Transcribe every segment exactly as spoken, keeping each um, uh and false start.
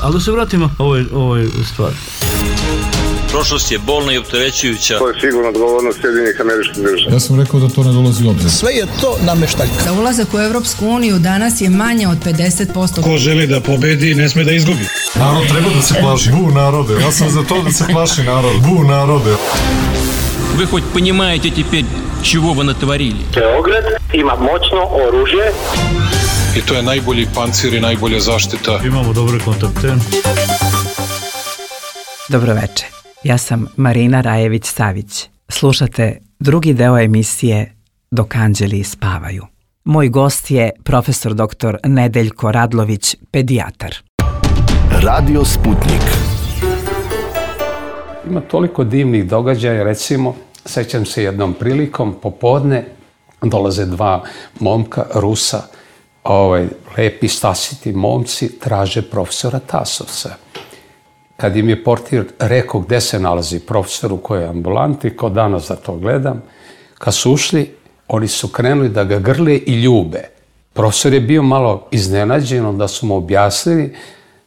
Ali da se vratimo ovoj, ovoj stvari. Prošlost je bolna i opterećujuća. To je sigurno odgovornost Sjedinjenih Američkih Država. Ja sam rekao da to ne dolazi u obzir. Sve je to nameštaljka. Za ulazak u Evropsku uniju danas je manje od pedeset posto. Ko želi da pobedi, ne sme da izgubi. Narod treba da se plaši. Bu narode. Ja sam za to da se plaši narod. Bu narode. Вы хоть понимаете теперь, чего вы натворили? Beograd ima moćno oružje. I to je najbolji pancir i najbolja zaštita. Imamo dobre kontakte. Dobro veče. Ja sam Marina Rajević-Savić. Slušate drugi deo emisije Dok anđeli spavaju. Moj gost je profesor doktor Nedeljko Radlović, pedijatar. Radio Sputnik. Ima toliko divnih događaja, recimo, sećam se jednom prilikom, popodne dolaze dva momka, Rusa, ovaj, lepi, stasiti momci, traže profesora Tasovca. Kad im je portir rekao gde se nalazi profesor u kojoj ambulanti, kao danas da to gledam, kad su ušli, oni su krenuli da ga grle i ljube. Profesor je bio malo iznenađen, onda su mu objasnili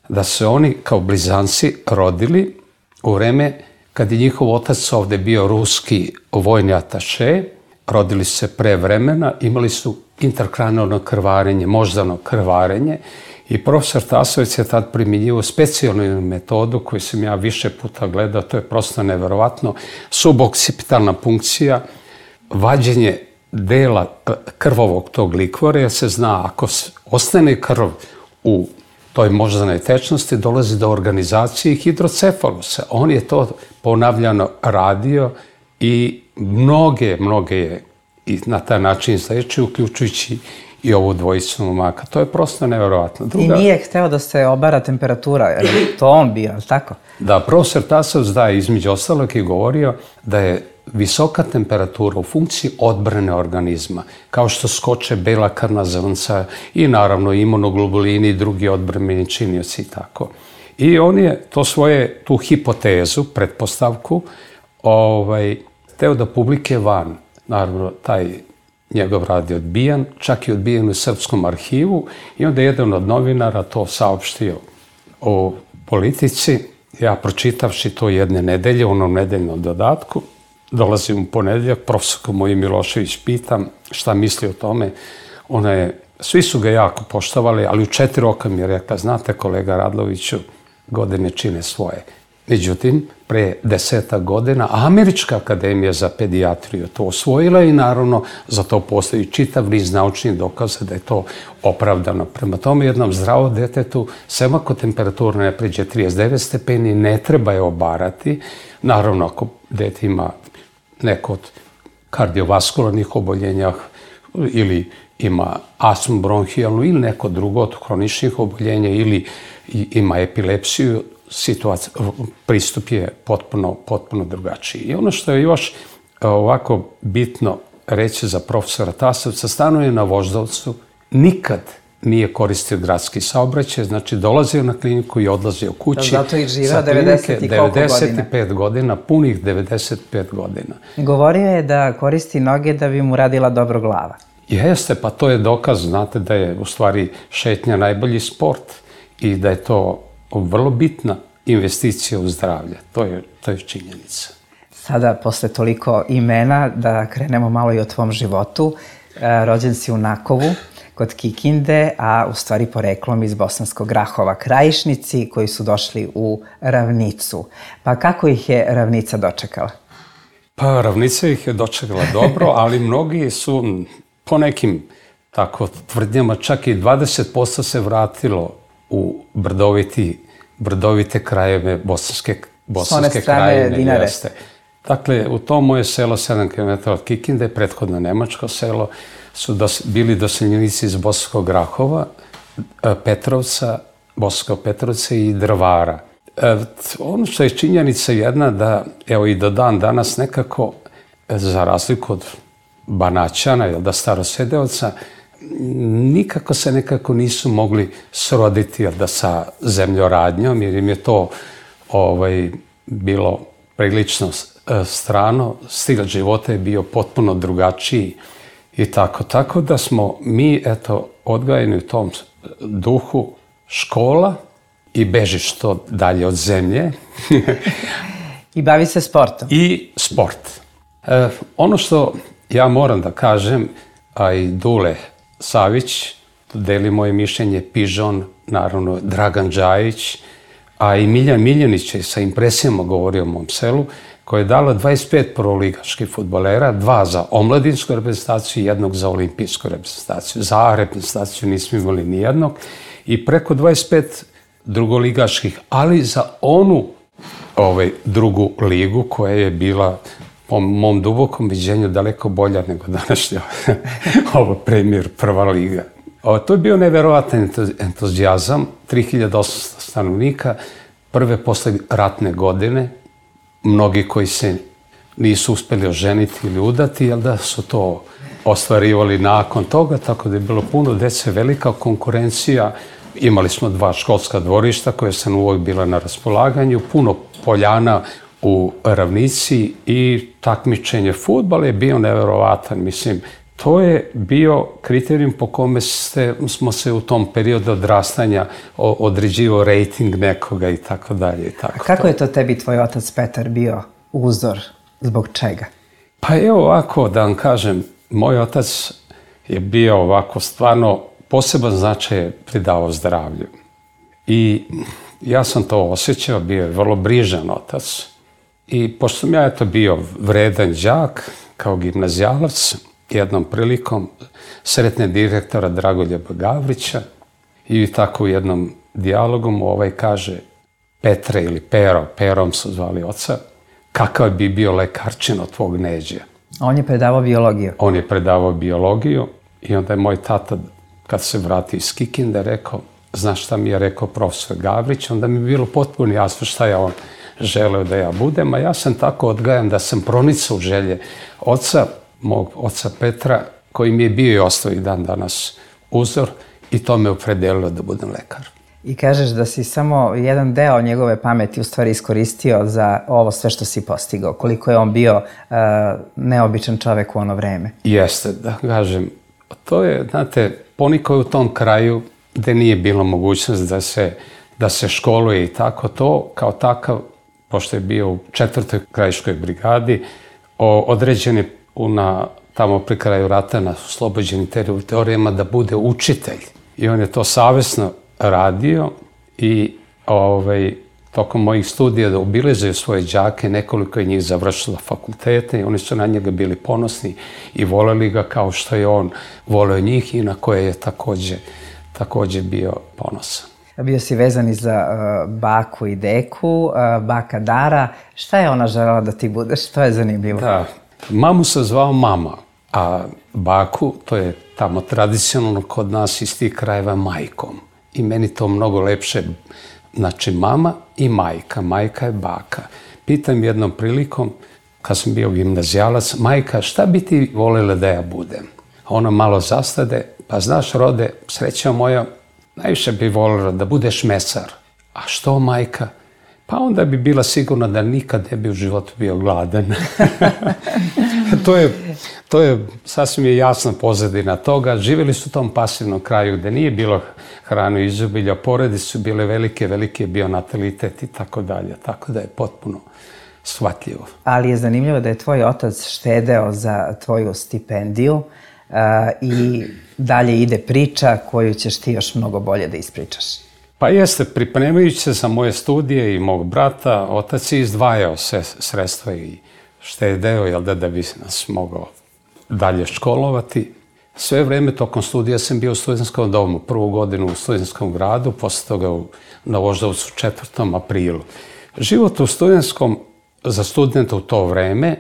da se oni kao blizanci rodili u vreme kad je njihov otac ovde bio ruski vojni ataše, rodili su se pre vremena, imali su intrakranijalno krvarenje, moždano krvarenje, i profesor Tasovac je tad primjenjivao specijalnu metodu koju sam ja više puta gledao, to je prosto neverovatno, subokcipitalna punkcija, vađenje dela krvovog tog likvora, jer se zna, ako ostane krv u toj moždanoj tečnosti, dolazi do organizacije hidrocefalusa. On je to ponavljano radio i mnoge, mnoge je i na taj način izlečio, uključujući i ovu dvojicu momaka. To je prosto nevjerovatno. Druga... I nije hteo da se obara temperatura, jer je to on bio, ali tako? Da, profesor Tasovac da je između ostalog i govorio da je visoka temperatura u funkciji odbrane organizma, kao što skoče bela krvna zrnca i naravno imunoglobulini i drugi odbrambeni činioci i tako. I on je to svoje, tu hipotezu, pretpostavku, ovaj, hteo da publike van. Naravno, taj njegov rad je odbijan, čak i odbijen u Srpskom arhivu, i onda jedan od novinara to saopštio o Politici. Ja, pročitavši to jedne nedelje, u onom nedeljnom dodatku, dolazim u ponedeljak, profesorku moju Milošević pitam šta misli o tome. Ona je, svi su ga jako poštovali, ali u četiri oka mi je rekla, znate kolega Radloviću, godine čine svoje. Međutim, pre desetak godina Američka akademija za pedijatriju to osvojila i naravno za to postoji čitav niz naučnih dokaza da je to opravdano. Prema tome, jednom zdravom detetu, sem ako temperatura ne pređe trideset devet stepeni, ne treba je obarati. Naravno, ako dete ima neko od kardiovaskularnih oboljenja ili ima astmu bronhijalnu ili neko drugo od hroničnih oboljenja ili ima epilepsiju, situacija, pristup je potpuno, potpuno drugačiji. I ono što je još ovako bitno reći za profesora Tasovca, stanuje na Voždovcu, nikad nije koristio gradski saobraćaj, znači dolazio na kliniku i odlazio kući. Da, zato i živa devedeset i koliko godina? devedeset pet godina, punih devedeset pet godina. Govorio je da koristi noge da bi mu radila dobro glava. Jeste, pa to je dokaz, znate da je u stvari šetnja najbolji sport i da je to vrlo bitna investicija u zdravlje. To je, to je činjenica. Sada, posle toliko imena, da krenemo malo i o tvom životu. Rođen si u Nakovu, kod Kikinde, a u stvari poreklom iz Bosanskog Grahova, krajišnici koji su došli u Ravnicu. Pa kako ih je Ravnica dočekala? Pa Ravnica ih je dočekala dobro, ali mnogi su po nekim tako tvrdnjama, čak i dvadeset posto se vratilo u brdoviti, brdovite krajeve bosanske, bosanske krajine. Jeste. Dakle, u to moje selo, sedam kilometara od Kikinde, prethodno nemačko selo, su dos, bili doseljenici iz Bosanskog Grahova, Petrovca, Bosanskog Petrovca i Drvara. E, ono što je činjenica jedna da, evo i do dan danas nekako, za razliku od Banaćana ili da starosedeoca, nikako se nekako nisu mogli sroditi da sa zemljoradnjom, jer im je to ovaj, bilo prilično strano, stil života je bio potpuno drugačiji i tako. Tako da smo mi, eto, odgajeni u tom duhu škola, i beži što dalje od zemlje. I bavi se sportom. I sport. E, ono što ja moram da kažem, a i Dule Savić, deli moje mišljenje, Pižon, naravno Dragan Džajić, a i Miljan Miljanić je sa impresijama govorio o mom selu, koja je dala dvadeset pet prvoligaških fudbalera, dva za omladinsku reprezentaciju i jednog za olimpijsku reprezentaciju. Za reprezentaciju nismo imali ni jednog. I preko dvadeset pet drugoligaških, ali za onu ovaj, drugu ligu koja je bila po mom dubokom viđenju daleko bolja nego današnja ovo Premier prva liga. O, to je bio neverovatan entuzijazam, tri hiljade osamsto stanovnika, prve posle ratne godine, mnogi koji se nisu uspeli oženiti ili udati, jel da su to ostvarivali nakon toga, tako da je bilo puno dece, velika konkurencija. Imali smo dva školska dvorišta koje sam uvijek bila na raspolaganju, puno poljana u ravnici i takmičenje fudbala je bio neverovatan. Mislim, to je bio kriterijum po kome ste, smo se u tom periodu odrastanja određivao rejting nekoga i tako dalje. A kako je to tebi tvoj otac Petar bio uzor? Zbog čega? Pa evo ovako, da vam kažem, moj otac je bio ovako stvarno poseban značaj pridavao zdravlju. I ja sam to osjećao, bio je vrlo brižan otac. I pošto sam ja eto bio vredan đak, kao gimnazijalac, jednom prilikom sretne direktora Dragoljeba Gavrića i tako u jednom dijalogom ovaj kaže Petre ili Pero, Perom su zvali oca, kakav bi bio lekarčin od tvog Neđe. On je predavao biologiju. On je predavao biologiju i onda je moj tata, kad se vrati iz Kikinde, rekao, znaš šta mi je rekao profesor Gavrić, onda mi je bilo potpuno jasno šta je on želeo da ja budem, a ja sam tako odgajan da sam pronicao želje oca, mog oca Petra, koji mi je bio i ostao i dan danas uzor i to me opredelilo da budem lekar. I kažeš da si samo jedan deo njegove pameti u stvari iskoristio za ovo sve što si postigao. Koliko je on bio uh, neobičan čovek u ono vreme. Jeste, da kažem. To je, znate, poniko je u tom kraju gde nije bilo mogućnost da se, da se školuje i tako to, kao takav, pošto je bio u četvrtoj krajiškoj brigadi, o, određen je na, tamo pri kraju rata na oslobođenim teritorijama da bude učitelj. I on je to savesno radio i ovaj, tokom mojih studija da obilazaju svoje đake, nekoliko je njih završilo fakultete i oni su na njega bili ponosni i voleli ga kao što je on voleo njih i na koje je takođe, takođe bio ponosan. Bio si vezan i za uh, baku i deku, uh, baka Dara. Šta je ona želela da ti budeš? To je zanimljivo. Da, mamu sam zvao mama, a baku, to je tamo tradicionalno kod nas iz tih krajeva, majkom. I meni to mnogo lepše, znači mama i majka, majka je baka. Pitam jednom prilikom, kad sam bio gimnazijalac, majka, šta bi ti voljela da ja budem? Ona malo zastade, pa znaš Rode, sreća moja, najviše bi voljela da budeš mesar. A što majka? Pa onda bi bila sigurna da nikad ne bi u životu bio gladan. to, je, to je sasvim je jasna pozadina toga. Živjeli su u tom pasivnom kraju gde nije bilo hranu izobilja, porodice su bile velike, veliki je bio natalitet i tako dalje. Tako da je potpuno shvatljivo. Ali je zanimljivo da je tvoj otac štedeo za tvoju stipendiju uh, i dalje ide priča koju ćeš ti još mnogo bolje da ispričaš. Pa jeste, pripremajući se za moje studije i mog brata, otac je izdvajao sve sredstva i štedeo, jel da, da bi nas mogao dalje školovati. Sve vreme tokom studija sam bio u studentskom domu, prvu godinu u studentskom gradu, posle toga u, na Voždovcu četvrtom aprilu. Život u studentskom za studenta u to vreme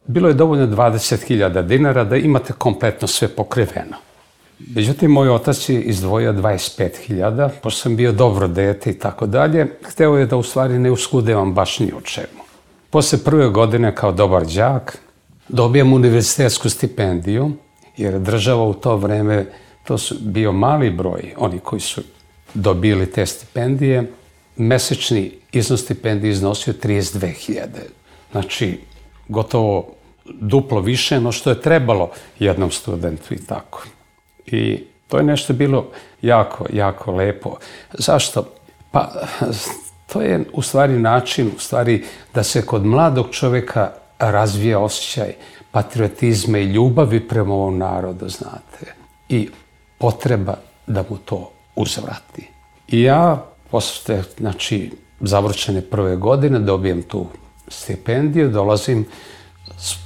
bilo je dovoljno dvadeset hiljada dinara da imate kompletno sve pokriveno. Međutim, moj otac je izdvojio dvadeset pet hiljada, pošto sam bio dobro dete i tako dalje, hteo je da u stvari ne uskudevam baš ni o čemu. Posle prve godine kao dobar đak dobijam univerzitetsku stipendiju, jer država u to vreme, to su bio mali broj, oni koji su dobili te stipendije, mesečni iznos stipendije iznosio trideset dve hiljade. Znači, gotovo duplo više no što je trebalo jednom studentu i tako. I to je nešto bilo jako, jako lepo. Zašto? Pa, to je u stvari način, u stvari, da se kod mladog čovjeka razvija osjećaj patriotizma i ljubavi prema ovom narodu, znate, i potreba da mu to uzvrati. I ja, posle, znači, završene prve godine, dobijem tu stipendiju, dolazim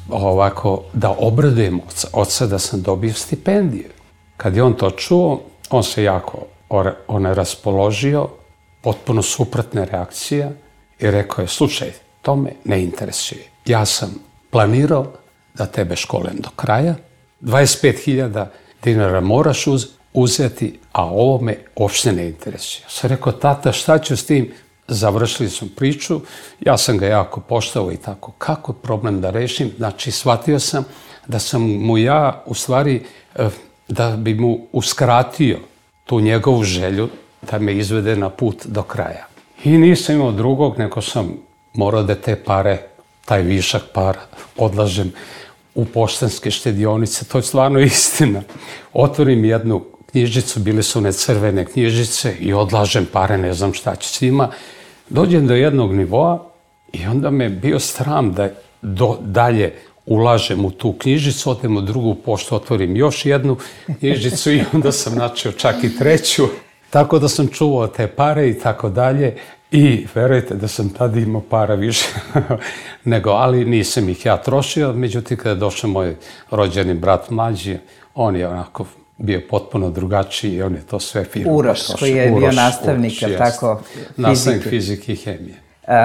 ovako da obradujem oca, oca da sam dobio stipendiju. Kad je on to čuo, on se jako on je raspoložio, potpuno suprotna reakcija i rekao je, slušaj, to me ne interesuje. Ja sam planirao da tebe školim do kraja, dvadeset pet hiljada dinara moraš uz, uzeti, a ovo me uopšte ne interesuje. Ja sam rekao, tata, šta ću s tim? Završili smo priču, ja sam ga jako poštovao i tako, kako je problem da rešim? Znači, shvatio sam da sam mu ja, u stvari, da bi mu uskratio tu njegovu želju da me izvede na put do kraja. I nisam imao drugog, nego sam morao da te pare, taj višak para, odlažem u poštanske štedionice. To je stvarno istina. Otvorim jednu knjižicu, bile su one crvene knjižice i odlažem pare, ne znam šta ću s njima. Dođem do jednog nivoa i onda me bio sram da do, dalje ulažem u tu knjižicu, odem u drugu poštu, otvorim još jednu knjižicu i onda sam načeo čak i treću. Tako da sam čuvao te pare i tako dalje. I verujte da sam tada imao para više nego, ali nisam ih ja trošio. Međutim, kada je došao moj rođeni brat mlađi, on je onako bio potpuno drugačiji i on je to sve firma. Uroš, koji je bio nastavnik, je tako, fizike. Nastavnik fizike i hemije. Uh,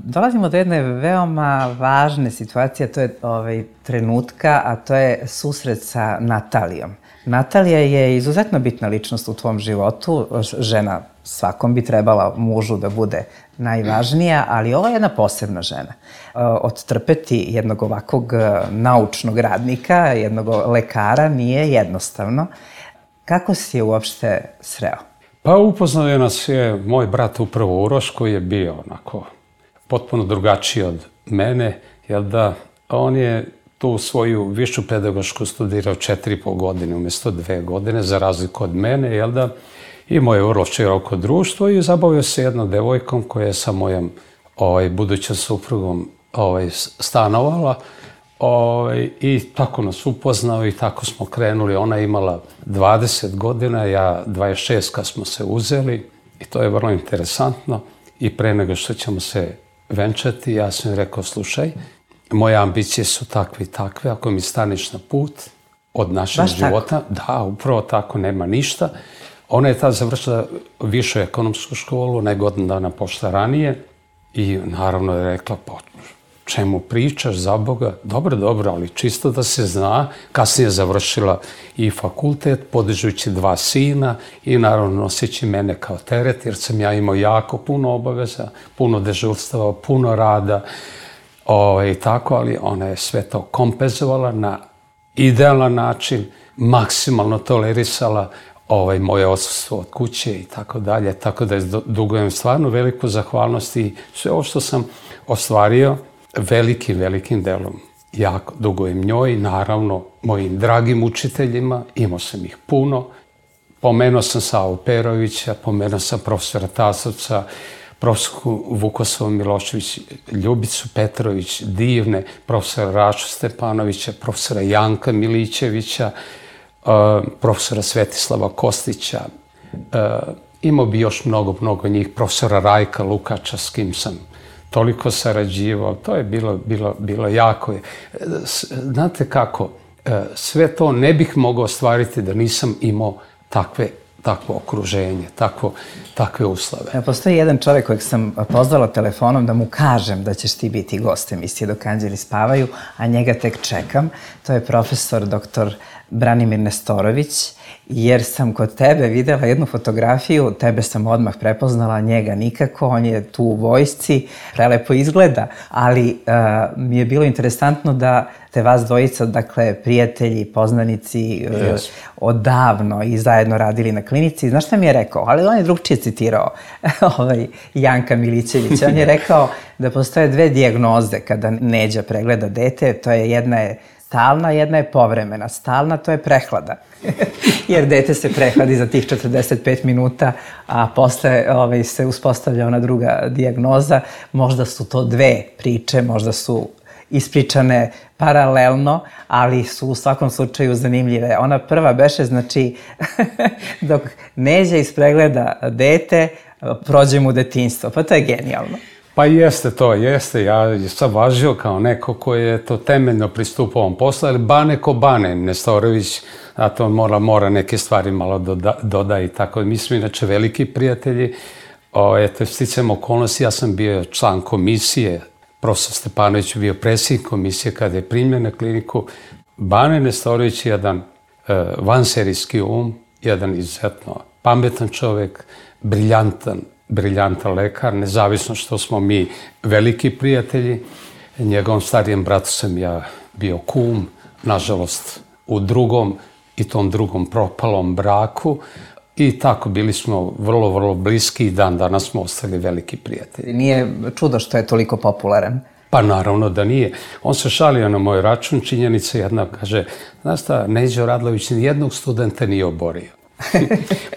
dolazimo do jedne veoma važne situacije, to je ovaj, trenutka, a to je susret sa Natalijom. Natalija je izuzetno bitna ličnost u tvom životu, žena svakom bi trebala mužu da bude najvažnija, ali ova je jedna posebna žena. Uh, odtrpeti jednog ovakvog naučnog radnika, jednog lekara nije jednostavno. Kako si je uopšte sreo? Pa upoznao je nas je moj brat upravo Uroš, koji je bio onako potpuno drugačiji od mene, jer da on je tu svoju višu pedagošku studirao četiri i po godine umjesto dve godine, za razliku od mene, jel da imao je vrlo široko društvo i zabavio se jednom devojkom koja je sa mojom ovaj, budućom suprugom ovaj, stanovala. Ovaj, I tako nas upoznao i tako smo krenuli. Ona je imala dvadeset godina, ja dvadeset šest kad smo se uzeli i to je vrlo interesantno. I pre nego što ćemo se venčati, ja sam rekao, slušaj, moje ambicije su takve i takve, ako mi staneš na put od našeg Baš života, tako? Da, upravo tako, nema ništa. Ona je tada završila višu ekonomsku školu, ne godinu dana pošla ranije i naravno je rekla, pa čemu pričaš, za Boga? Dobro, dobro, ali čisto da se zna. Kasnije je završila i fakultet, podižući dva sina i naravno noseći mene kao teret, jer sam ja imao jako puno obaveza, puno dežurstava, puno rada i tako, ali ona je sve to kompenzovala na idealan način, maksimalno tolerisala ovaj, moje odsustvo od kuće i tako dalje, tako da dugujem stvarno veliku zahvalnost i sve ovo što sam ostvario, velikim, velikim delom jako dugujem njoj, naravno mojim dragim učiteljima, imao sam ih puno. Pomenuo sam Savu Perovića, pomenuo sam profesora Tasovca, profesorku Vukosovu Milošević, Ljubicu Petrović, divne, profesora Rašu Stepanovića, profesora Janka Milićevića, profesora Svetislava Kostića. Imao bi još mnogo, mnogo njih, profesora Rajka Lukača, s kim sam toliko sarađivao, to je bilo, bilo, bilo jako. Znate kako, sve to ne bih mogao ostvariti da nisam imao takve, takvo okruženje, takvo, takve uslove. Postoji jedan čovjek kojeg sam pozvala telefonom da mu kažem da ćeš ti biti gost emisije Dok anđeli spavaju, a njega tek čekam. To je profesor doktor Branimir Nestorović, jer sam kod tebe videla jednu fotografiju, tebe sam odmah prepoznala, njega nikako, on je tu u vojsci, prelepo izgleda, ali uh, mi je bilo interesantno da te vas dvojica, dakle, prijatelji, poznanici, uh, yes. odavno i zajedno radili na klinici. Znaš šta mi je rekao? Ali on je drugčije citirao ovaj, Janka Milićevića. On je rekao da postoje dve dijagnoze kada Neđa pregleda dete, to je jedna je stalna, jedna je povremena. Stalna, to je prehlada. Jer dete se prehladi za tih četrdeset pet minuta, a posle ovaj, se uspostavlja ona druga dijagnoza. Možda su to dve priče, možda su ispričane paralelno, ali su u svakom slučaju zanimljive. Ona prva beše, znači, dok Neđa ispregleda dete, prođe mu detinjstvo. Pa to je genijalno. Pa jeste to, jeste. Ja sam važio kao neko koji je to temeljno pristupao ovom poslu, ali Bane ko Bane, Nestorović, a to mora, mora neke stvari malo doda, doda i tako. Mi smo inače veliki prijatelji. O, eto, sticam okolnosti, ja sam bio član komisije, profesor Stepanović je bio predsjednik komisije kada je primljen na kliniku. Bane Nestorović je jedan e, vanserijski um, jedan izuzetno pametan čovjek, briljantan, briljantan lekar, nezavisno što smo mi veliki prijatelji. Njegovom starijem bratu sam ja bio kum, nažalost u drugom i tom drugom propalom braku. I tako bili smo vrlo, vrlo bliski i dan danas smo ostali veliki prijatelji. Nije čudo što je toliko popularan. Pa naravno da nije. On se šalio na moj račun, činjenica jedna, kaže, znaš šta, Neđo Radlović nijednog studenta nije oborio.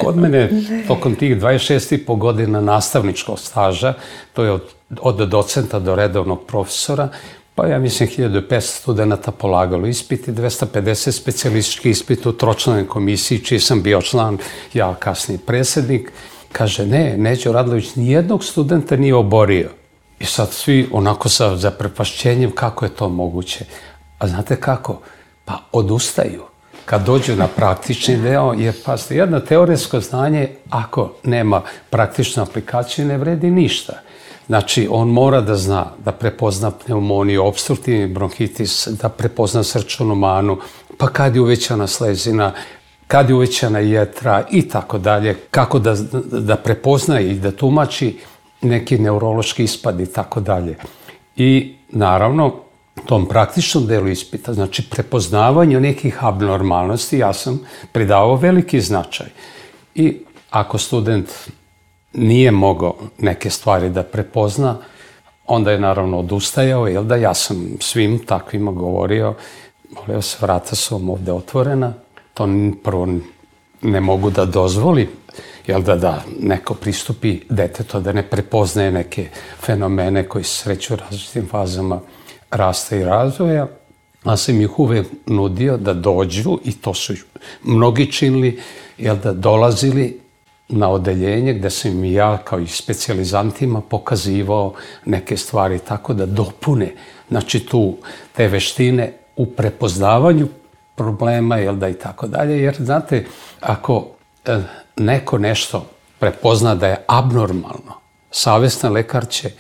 Kod mene, tokom tih dvadeset šest i po godina nastavničkog staža, to je od, od docenta do redovnog profesora, pa ja mislim hiljadu petsto studenta polagalo ispit i dvesta pedeset specijalistički ispit u tročlanoj komisiji, čiji sam bio član, ja kasniji predsjednik. Kaže, ne, Neđo Radlović nijednog studenta nije oborio. I sad svi onako sa zaprepašćenjem kako je to moguće. A znate kako? Pa odustaju. Kad dođu na praktični deo, jer pazite, jedno teoretsko znanje, ako nema praktičnu aplikaciju, ne vredi ništa. Znači, on mora da zna, da prepozna pneumoniju, opstruktivni bronhitis, da prepozna srčanu manu, pa kad je uvećana slezina, kad je uvećana jetra i tako dalje, kako da, da prepozna i da tumači neki neurološki ispad i tako dalje. I naravno, tom praktičnom delu ispita, znači prepoznavanju nekih abnormalnosti, ja sam pridavao veliki značaj. I ako student nije mogao neke stvari da prepozna, onda je naravno odustajao, jel da ja sam svim takvima govorio, molio se, vrata su vam ovde otvorena, to prvo ne mogu da dozvolim, jel da, da neko pristupi detetu, da ne prepoznaje neke fenomene koji se sreću u različitim fazama rasta i razvoja, a sam ih uvek nudio da dođu, i to su mnogi činili, jel da dolazili na odeljenje gde sam im ja kao i specijalizantima pokazivao neke stvari tako da dopune, znači tu te veštine u prepoznavanju problema, jel da i tako dalje, jer znate, ako e, neko nešto prepozna da je abnormalno, savestan lekar će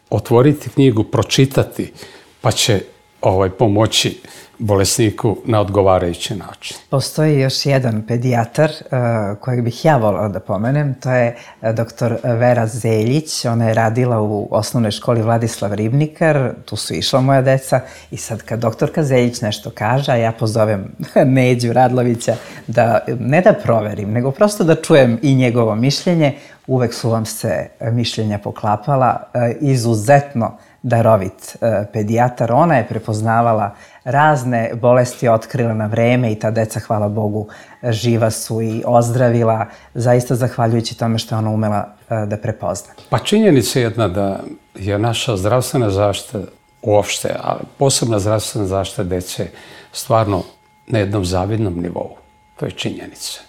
otvoriti knjigu, pročitati, pa će ovaj, pomoći bolesniku na odgovarajući način. Postoji još jedan pedijatar uh, kojeg bih ja volala da pomenem, to je doktor Vera Zeljić. Ona je radila u osnovnoj školi Vladislav Ribnikar, tu su išla moja deca i sad kad doktorka Zeljić nešto kaže, a ja pozovem Neđu Radlovića da ne da proverim, nego prosto da čujem i njegovo mišljenje, uvek su vam se mišljenja poklapala, uh, izuzetno darovit uh, pedijatar. Ona je prepoznavala razne bolesti, otkrila na vreme i ta deca, hvala Bogu, živa su i ozdravila, zaista zahvaljujući tome što je ona umela uh, da prepozna. Pa činjenica je jedna da je naša zdravstvena zaštita uopšte, ali posebna zdravstvena zaštita dece stvarno na jednom zavidnom nivou. To je činjenica.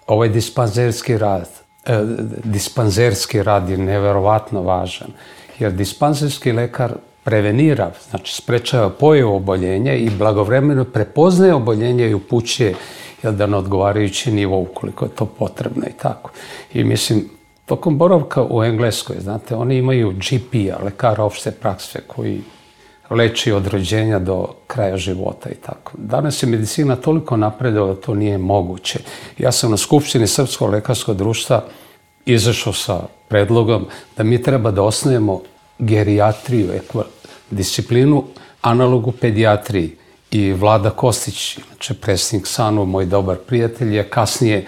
Ovaj dispanzerski rad, eh, dispanzerski rad je neverovatno važan, jer dispanzerski lekar prevenira, znači sprečava pojavu oboljenja i blagovremeno prepoznaje oboljenje i upućuje, jel da, na odgovarajući nivo ukoliko je to potrebno i tako. I mislim, tokom boravka u Engleskoj, znate, oni imaju G P-a, lekara opšte prakse, koji leči od rođenja do kraja života i tako. Danas je medicina toliko napredovala da to nije moguće. Ja sam na Skupštini Srpskog lekarskog društva izašao sa predlogom da mi treba da osnovimo gerijatriju, disciplinu analogu pedijatriji. I Vlada Kostić, znači predsjednik S A N U, moj dobar prijatelj, je kasnije,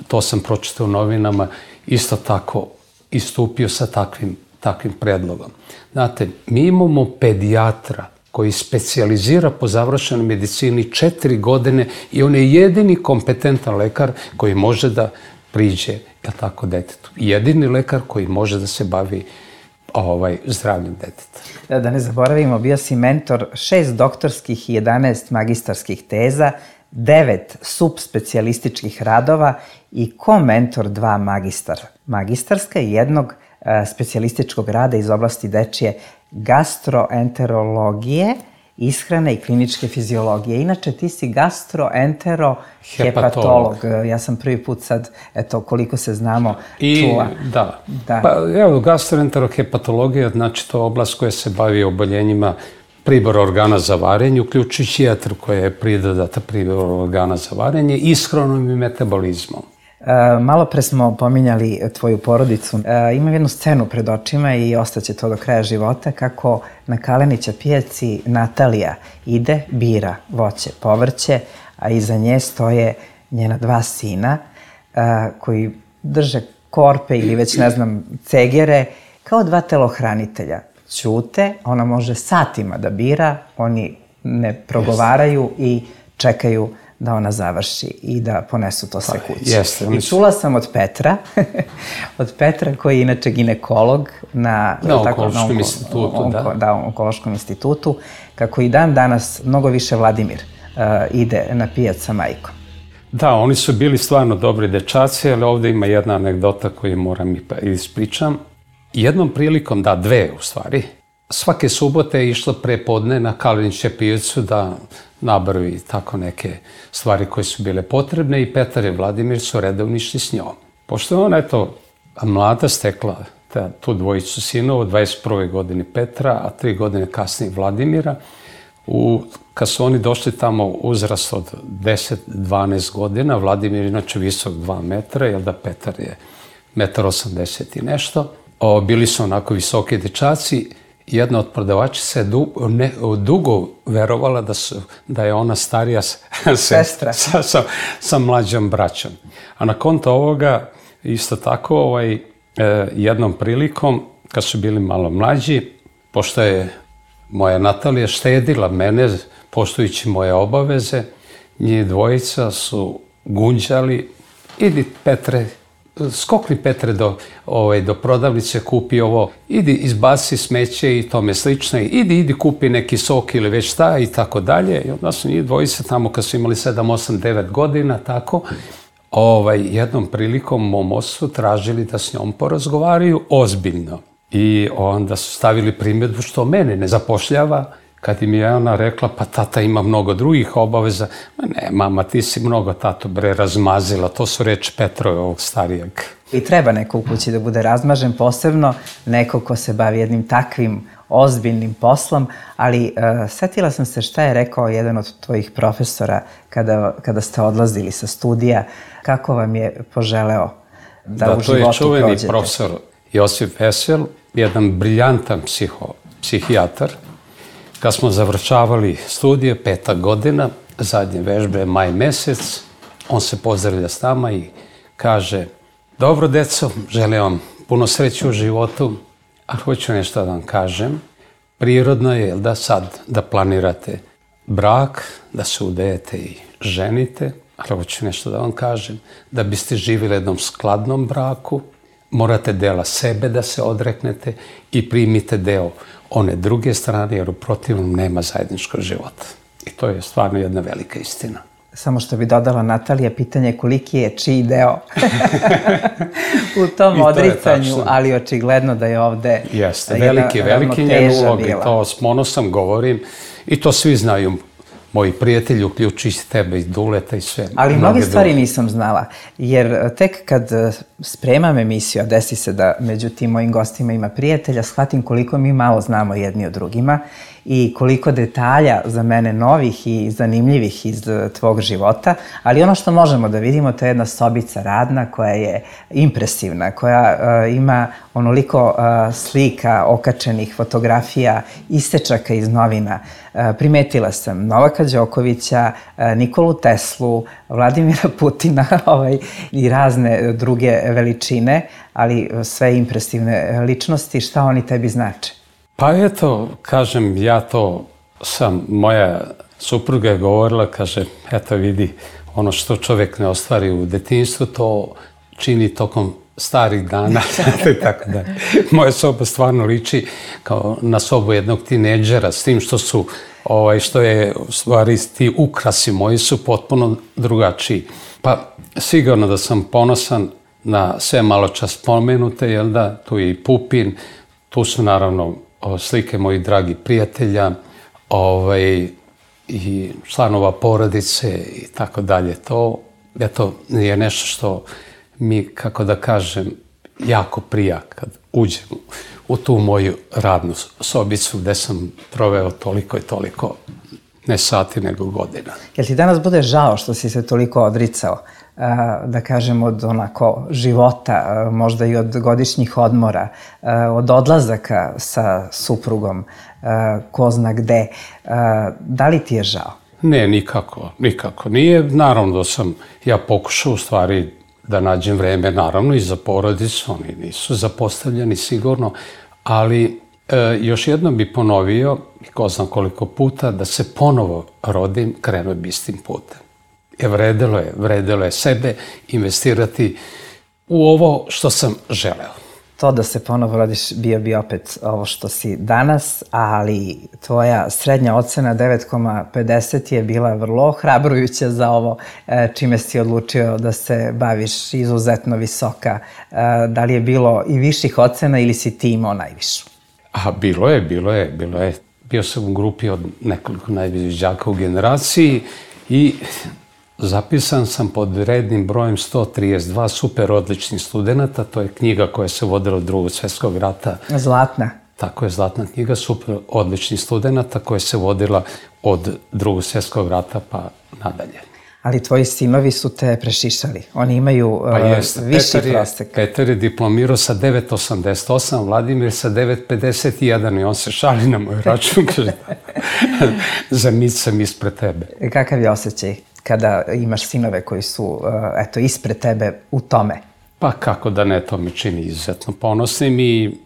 to sam pročitao u novinama, isto tako istupio sa takvim, takvim predlogom. Znate, mi imamo pedijatra koji specijalizira po završenoj medicini četiri godine i on je jedini kompetentan lekar koji može da priđe, je tako, detetu. Jedini lekar koji može da se bavi ovaj, zdravljem deteta. Da, da ne zaboravimo, bio si mentor šest doktorskih i jedanaest magistarskih teza, devet subspecijalističkih radova i ko-mentor dva magistar, magistarska i jednog e, specijalističkog rada iz oblasti dečije gastroenterologije, ishrane i kliničke fiziologije. Inače, ti si gastroenterohepatolog. Ja sam prvi put sad, eto, koliko se znamo, I, čula. Da. da. Pa, evo, gastroenterohepatologija, znači to je oblast koja se bavi oboljenjima pribora organa za varenje, uključujući jetru koja je pridodata pribora organa za varenje, ishranom i metabolizmom. E, malo pre smo pominjali tvoju porodicu. E, imam jednu scenu pred očima i ostaće to do kraja života, kako na Kalenića pijaci Natalija ide, bira voće, povrće, a iza nje stoje njena dva sina e, koji drže korpe ili već ne znam cegere, kao dva telohranitelja. Ćute, ona može satima da bira, oni ne progovaraju i čekaju da ona završi i da ponesu to sve kući. Jeste, I čula sam od Petra, od Petra koji je inače ginekolog na, na tako, Onkološkom na onko, institutu, onko, da. da, u Onkološkom institutu, kako i dan danas mnogo više Vladimir uh, ide na pijac sa majkom. Da, oni su bili stvarno dobri dečaci, ali ovde ima jedna anegdota koju moram i ispričam. Jednom prilikom, da, dve u stvari, svake subote je išla prepodne na Kalenića pijacu da nabavi tako neke stvari koje su bile potrebne i Petar i Vladimir su redovno išli s njom. Pošto je ona, eto, mlada stekla ta, tu dvojicu sinova u dvadeset prvoj godini Petra, a tri godine kasnije Vladimira, u, kad su oni došli tamo uzrast od deset do dvanaest godina, Vladimir je inače visok dva metra, jer da Petar je metar osamdeset i nešto, o, bili su onako visoki dečaci. Jedna od prodavačica je du, ne, dugo verovala da, su, da je ona starija sestra sa, sa, sa mlađom braćom. A na konto ovoga, isto tako, ovaj, e, jednom prilikom, kad su bili malo mlađi, pošto je moja Natalija štedila mene, poštujući moje obaveze, njih dvojica su gunđali, idi Petre, skokni Petre do, ovaj, do prodavnice, kupi ovo, idi izbaci smeće i tome slično, idi, idi kupi neki sok ili već šta i tako dalje. I onda su njih dvojice tamo kad su imali sedam, osam, devet godina, tako, ovaj, jednom prilikom mom ocu tražili da s njom porazgovaraju ozbiljno. I onda su stavili primjedbu što mene ne zapošljava, kad im je ona rekla, pa tata ima mnogo drugih obaveza. Ma ne, mama, ti si mnogo, tato, bre, razmazila. To su reči Petrove, ovog starijeg. I treba neko u kući da bude razmažen, posebno neko ko se bavi jednim takvim ozbiljnim poslom, ali uh, setila sam se šta je rekao jedan od tvojih profesora kada, kada ste odlazili sa studija, kako vam je poželeo da, da u životu prođete. Da, to je čuveni profesor Josip Vesel, jedan briljantan psiho, psihijatar. Kad smo završavali studije, peta godina, zadnje vežbe je maj mesec, on se pozdravlja s nama i kaže: dobro, deco, želim vam puno sreće u životu, a hoću nešto da vam kažem. Prirodno je da sad da planirate brak, da se udejete i ženite, ali hoću nešto da vam kažem. Da biste živjeli jednom skladnom braku, morate dela sebe da se odreknete i primite deo one druge strane, jer u protivnom nema zajedničkog života. I to je stvarno jedna velika istina. Samo što bi dodala Natalija, pitanje je koliki je čiji deo u tom odricanju, ali očigledno da je ovde jeste, veliki, veliki njen ulog i to s ponosom govorim i to svi znaju. Moji prijatelji, uključujući tebe i Duleta i sve. Ali mnoge stvari nisam znala, jer tek kad spremam emisiju, a desi se da među tim mojim gostima ima prijatelja, shvatim koliko mi malo znamo jedni o drugima i koliko detalja za mene novih i zanimljivih iz tvog života, ali ono što možemo da vidimo, to je jedna sobica radna koja je impresivna, koja uh, ima onoliko uh, slika, okačenih fotografija, istečaka iz novina. Uh, primetila sam Novaka Đokovića, uh, Nikolu Teslu, Vladimira Putina ovaj, i razne druge veličine, ali sve impresivne ličnosti. Šta oni tebi znače? Pa eto, kažem, ja to sam, moja supruga je govorila, kaže, eto vidi, ono što čovjek ne ostvari u detinjstvu, to čini tokom starih dana. Tako da, moja soba stvarno liči kao na sobu jednog tinejdžera, s tim što su, ovaj, što je, u stvari, ti ukrasi moji su potpuno drugačiji. Pa, sigurno da sam ponosan na sve malo čas spomenute, jel da, tu je i Pupin, tu su naravno slike mojih dragih prijatelja, ovaj, i članova porodice i tako dalje. To, eto, je nešto što mi, kako da kažem, jako prija kad uđem u tu moju radnu sobicu gde sam proveo toliko i toliko, ne sati, nego godina. Jel ti danas bude žao što si se toliko odricao, da kažem, od onako života, možda i od godišnjih odmora, od odlazaka sa suprugom, ko zna gde? Da li ti je žao? Ne, nikako, nikako. Nije, naravno da sam ja pokušao u stvari da nađem vreme, naravno i za porodicu, oni nisu zapostavljeni sigurno, ali e, još jednom bi ponovio, ko znam koliko puta, da se ponovo rodim, krenuo bi istim putem. E, vredelo je, vredelo je sebe investirati u ovo što sam želeo. To da se ponovo rodiš bio bi opet ovo što si danas, ali tvoja srednja ocena devet zarez pedeset je bila vrlo hrabrujuća za ovo čime si odlučio da se baviš, izuzetno visoka. Da li je bilo i viših ocena ili si ti imao najvišu? A bilo je, bilo je, bilo je. Bio sam u grupi od nekoliko najviših đaka u generaciji i zapisan sam pod rednim brojem sto trideset dva super odličnih studenta. To je knjiga koja se vodila od Drugog svjetskog rata. Zlatna. Tako je, zlatna knjiga super odličnih studenta koja se vodila od Drugog svjetskog rata pa nadalje. Ali tvoji sinovi su te prešišali. Oni imaju pa jest, uh, viši Petar je, prostek. Petar je diplomirao sa devet zarez osamdeset osam, Vladimir sa devet zarez pedeset jedan i on se šali na moj račun. Kaže, za nic sam ispred tebe. Kakav je osjećaj kada imaš sinove koji su uh, eto, ispred tebe u tome? Pa kako da ne, to me čini izuzetno ponosnim i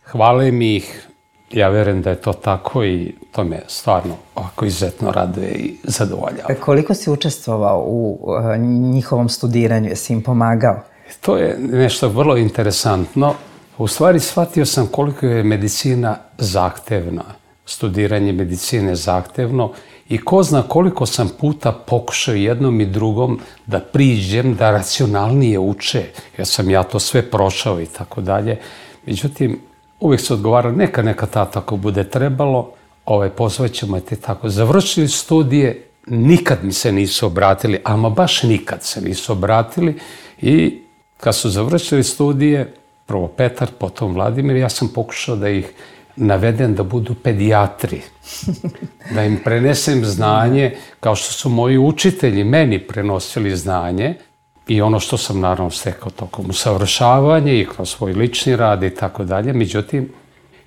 hvale mi ih. Ja verujem da je to tako i to me stvarno ovako izuzetno raduje i zadovoljava. Koliko si učestvovao u uh, njihovom studiranju? Jesi im pomagao? To je nešto vrlo interesantno. U stvari shvatio sam koliko je medicina zahtevna. Studiranje medicine je zahtevno i ko zna koliko sam puta pokušao jednom i drugom da priđem, da racionalnije uče, jer sam ja to sve prošao i tako dalje. Međutim, uvijek se odgovara, neka, neka tata ako bude trebalo, ovaj, pozvaćemo te tako. Završili studije, nikad mi se nisu obratili, ama baš nikad se nisu obratili i kad su završili studije, prvo Petar, potom Vladimir, ja sam pokušao da ih navedem da budu pedijatri, da im prenesem znanje kao što su moji učitelji meni prenosili znanje i ono što sam naravno stekao tokom usavršavanja i kroz svoj lični rad i tako dalje. Međutim,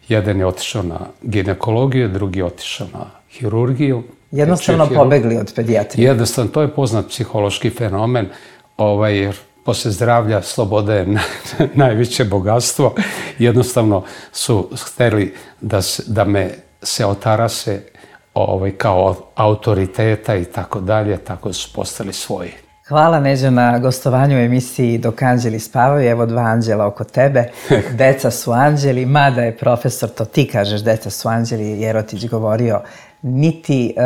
jedan je otišao na ginekologiju, drugi je otišao na hirurgiju. Jednostavno pobegli od pedijatrije. Jednostavno, to je poznat psihološki fenomen, ovaj, jer posle zdravlja sloboda je najveće bogatstvo. Jednostavno su hteli da, se, da me se otarase ovaj, kao autoriteta i tako dalje, tako su postali svoji. Hvala, Neđo, na gostovanju u emisiji Dok anđeli spavaju. Evo dva anđela oko tebe. Deca su anđeli, mada je profesor, to ti kažeš, deca su anđeli, Jerotić govorio, niti uh,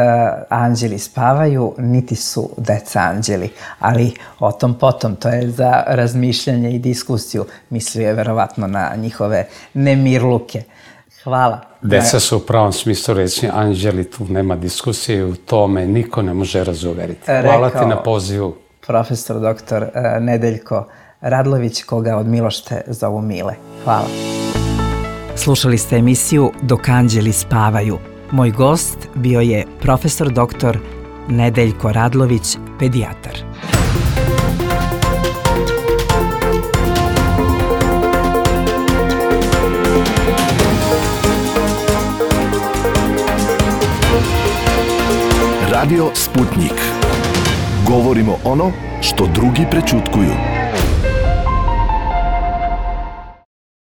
anđeli spavaju, niti su deca anđeli. Ali o tom potom, to je za razmišljanje i diskusiju. Mislio je verovatno na njihove nemirluke. Hvala. Deca su u pravom smislu reći anđeli, tu nema diskusije, u tome niko ne može razuveriti. Hvala ti na pozivu. Profesor doktor Nedeljko Radlović, koga od Milošte zovu Mile. Hvala. Slušali ste emisiju Dok anđeli spavaju. Moj gost bio je profesor doktor Nedeljko Radlović, pedijatar. Radio Sputnik. Govorimo ono što drugi prećutkuju.